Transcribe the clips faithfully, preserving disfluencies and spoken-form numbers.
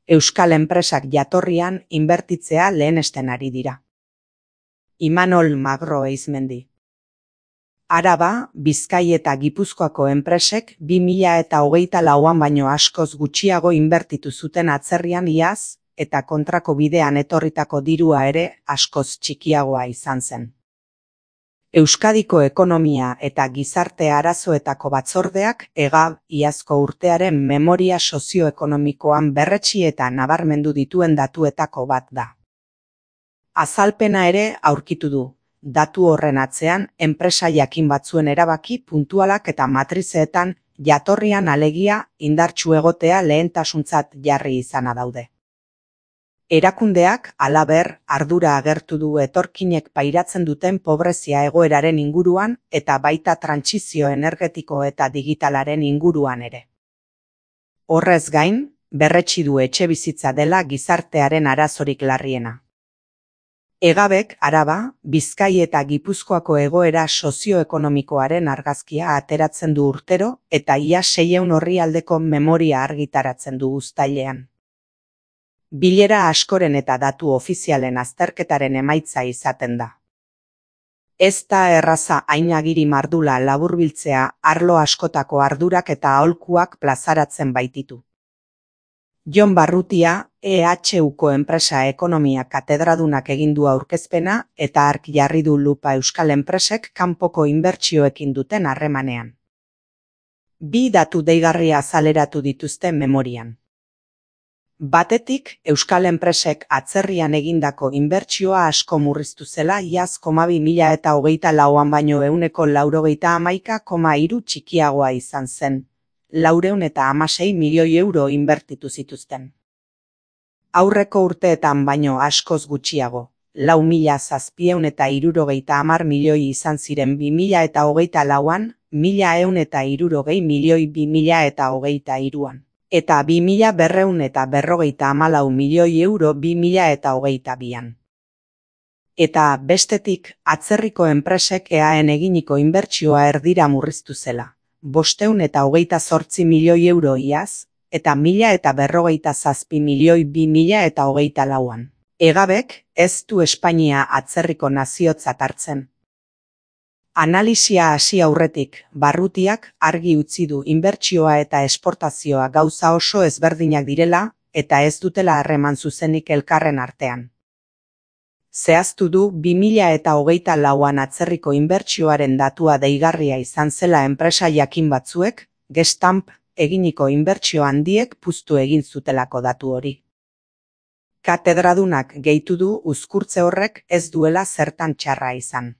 Euskal enpresak jatorrian inbertitzea lehenesten ari dira. Imanol Magro Eizmendi. Araba, Bizkai eta Gipuzkoako enpresek bi mila eta hogeita lauan baino askoz gutxiago inbertitu zuten atzerrian iaz, eta kontrako bidean etorritako dirua ere askoz txikiagoa izan zen. Euskadiko ekonomia eta gizarte arazoetako batzordeak EGAB iazko urtearen memoria sozioekonomikoan berretsi eta nabarmendu dituen datuetako bat da. Azalpena ere aurkitu du. Datu horren atzean, enpresa jakin batzuen erabaki puntualak eta matrizeetan jatorrian alegia indartsu egotea lehentasuntzat jarri izana daude. Erakundeak, halaber, ardura agertu du etorkinek pairatzen duten pobrezia egoeraren inguruan eta baita trantsizio energetiko eta digitalaren inguruan ere. Horrez gain, berretsi du etxebizitza dela gizartearen arazorik larriena. EGABek Araba, Bizkai eta Gipuzkoako egoera sozioekonomikoaren argazkia ateratzen du urtero eta ia seiehun orrialdeko memoria argitaratzen du uztailean. Bilera askoren eta datu ofizialen azterketaren emaitza izaten da. Ez da erraza hain agiri mardula laburbiltzea arlo askotako ardurak eta aholkuak plazaratzen baititu. Jon Barrutia, E H Uko enpresa ekonomia katedradunak egin du aurkezpena eta hark jarri du lupa euskal enpresek kanpoko inbertsioekin duten harremanean. Bi datu deigarria azaleratu dituzte memorian. Batetik, euskal enpresek atzerrian egindako inbertsioa asko murriztu zela iaz koma bi mila eta hogeita lauan baino ehuneko laurogeita hamaika koma hiru txikiagoa izan zen. Laurehun eta hamasei milioi euro inbertitu zituzten. Aurreko urteetan baino askoz gutxiago, lau mila zazpiehun eta hirurogeita hamar milioi izan ziren bi mila eta hogeita lauan, mila ehun eta hirurogei milioi bi mila eta hogeita hiruan, eta bi mila berrehun eta berrogeita hamalau milioi euro bi mila eta hogeita bian. Eta bestetik, atzerriko enpresek E A En eginiko inbertsioa erdira murriztu zela. Bosteun eta hogeita zortzi milioi euro iaz, eta mila eta berrogeita zazpi milioi bi mila eta hogeita lauan. EGABek ez du Espainia atzerriko naziotzat hartzen. Analisia hasi aurretik, Barrutiak argi utzi du inbertsioa eta esportazioa gauza oso ezberdinak direla, eta ez dutela harreman zuzenik elkarren artean. Zehaztu du bi mila eta hogeita lauan atzerriko inbertsioaren datua deigarria izan zela enpresa jakin batzuek, Gestamp eginiko inbertsio handiek puztu egin zutelako datu hori. Katedradunak gehitu du uzkurtze horrek ez duela zertan txarra izan.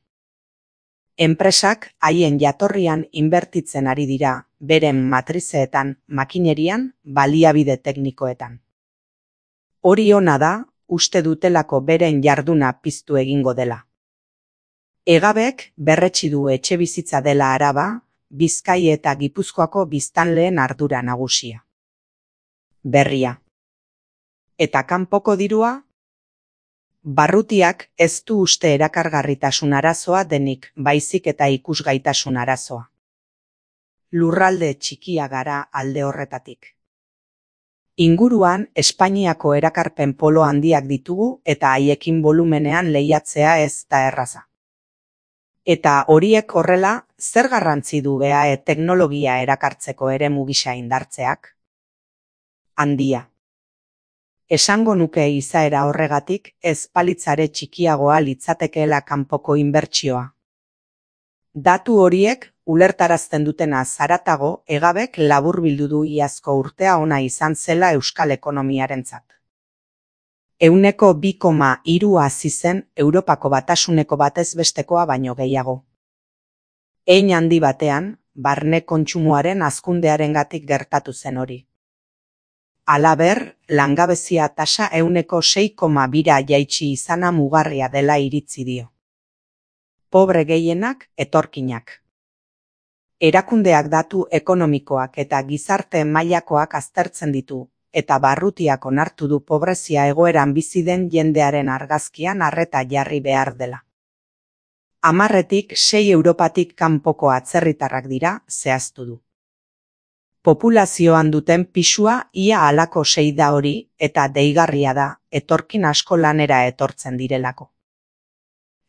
Enpresak haien jatorrian inbertitzen ari dira, beren matrizeetan, makinerian, baliabide teknikoetan. Hori ona da, uste dutelako beren jarduna piztu egingo dela. EGABek berretsi du etxebizitza dela Araba, Bizkai eta Gipuzkoako biztanleen ardura nagusia. Berria. Eta kanpoko dirua? Barrutiak ez du uste erakargarritasun arazoa denik, baizik eta ikusgaitasun arazoa. Lurralde txikia gara alde horretatik. Inguruan, Espainiako erakarpen polo handiak ditugu eta haiekin volumenean lehiatzea ez da erraza. Eta horiek horrela, zer garrantzi du B A E teknologia erakartzeko eremu gisa indartzeak? Handia. Esango nuke izaera horregatik ez palitzare txikiagoa litzatekeela kanpoko inbertsioa. Datu horiek, ulertarazten dutena zaratago, EGABek laburbildu du iazko urtea ona izan zela euskal ekonomiarentzat. Ehuneko bi koma hiru hazi zen Europako batasuneko batez bestekoa baino gehiago. Hein handi batean, barne kontsumoaren hazkundearengatik gertatu zen hori. Halaber, langabezia tasa ehuneko sei koma bira jaitsi izana mugarria dela iritzi dio. Pobre gehienak, etorkinak. Erakundeak datu ekonomikoak eta gizarte mailakoak aztertzen ditu, eta Barrutiak onartu du pobrezia egoeran bizi den jendearen argazkian arreta jarri behar dela. Hamarretik sei Europatik kanpoko atzerritarrak dira, zehaztu du. Populazioan duten pisua ia halako sei da hori, eta deigarria da, etorkin asko lanera etortzen direlako.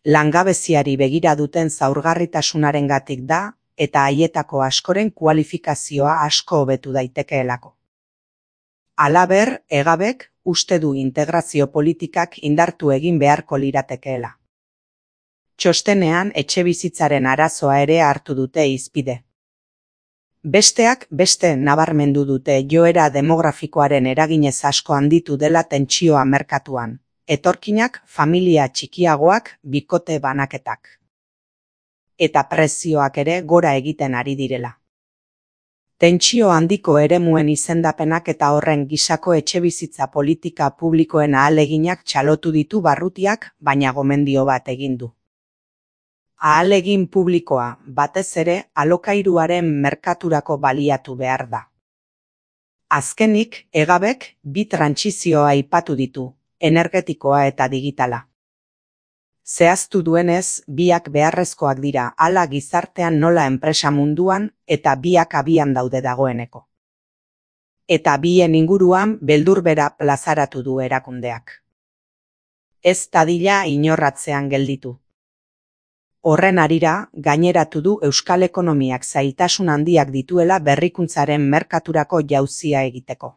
Langabeziari begira duten zaurgarritasunarengatik da, eta haietako askoren kualifikazioa asko hobetu daitekeelako. Halaber, Egabek uste du integrazio politikak indartu egin beharko liratekeela. Txostenean etxebizitzaren arazoa ere hartu dute hizpide. Besteak beste nabarmendu dute joera demografikoaren eraginez asko handitu dela tentsioa merkatuan, etorkinak familia txikiagoak bikote banaketak. Eta prezioak ere gora egiten ari direla. Tentsio handiko eremuen izendapenak eta horren gisako etxebizitza politika publikoen ahaleginak txalotu ditu Barrutiak, baina gomendio bat egin du. Ahalegin publikoa, batez ere, alokairuaren merkaturako baliatu behar da. Azkenik, Egabek bi trantsizioa aipatu ditu, energetikoa eta digitala. Zehaztu duenez, biak beharrezkoak dira hala gizartean nola enpresa munduan eta biak abian daude dagoeneko. Eta bien inguruan beldurbera plazaratu du erakundeak. Ez dadila inorratzean gelditu. Horren harira, gaineratu du euskal ekonomiak zailtasun handiak dituela berrikuntzaren merkaturako jauzia egiteko.